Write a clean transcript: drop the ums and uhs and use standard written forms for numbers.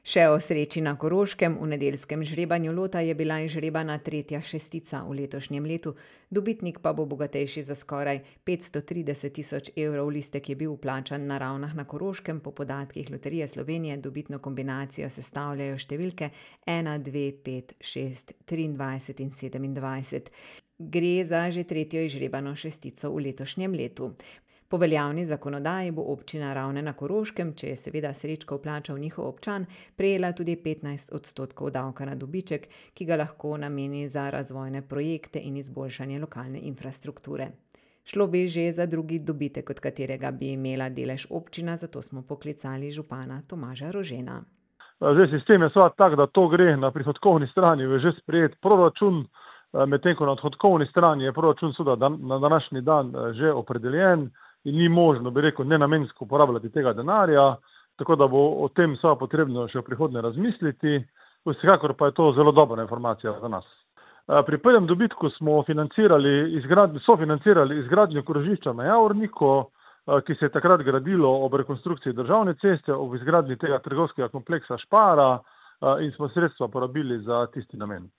Še o sreči na Koroškem. V nedeljskem žrebanju lota je bila izžrebana tretja šestica v letošnjem letu. Dobitnik pa bo bogatejši za skoraj 530 tisoč evrov. Listek je bil vplačan na Ravnah na Koroškem. Po podatkih Loterije Slovenije dobitno kombinacijo sestavljajo številke 1, 2, 5, 6, 23 in 27. Gre za že tretjo izžrebano šestico v letošnjem letu. Po veljavni zakonodaji bo občina Ravne na Koroškem, če je seveda srečko vplačal njihov občan, prejela tudi 15% davka na dobiček, ki ga lahko nameni za razvojne projekte in izboljšanje lokalne infrastrukture. Šlo bi že za drugi dobitek, od katerega bi imela delež občina, zato smo poklicali župana Tomaža Rožena. Zdaj, sistem je seveda tak, da to gre na prihodkovni strani, je že sprejet proračun, medtem ko na odhodkovni strani je proračun seveda na današnji dan že opredeljen in ni možno, bi rekel, nenamensko uporabljati tega denarja, tako da bo o tem seveda potrebno še v prihodnje razmisliti. Vsekakor pa je to zelo dobra informacija za nas. Pri prvem dobitku smo sofinancirali izgradnjo krožišča na Javorniku, ki se je takrat gradilo ob rekonstrukciji državne ceste, ob izgradnji tega trgovskega kompleksa Špara in smo sredstva porabili za tisti namen.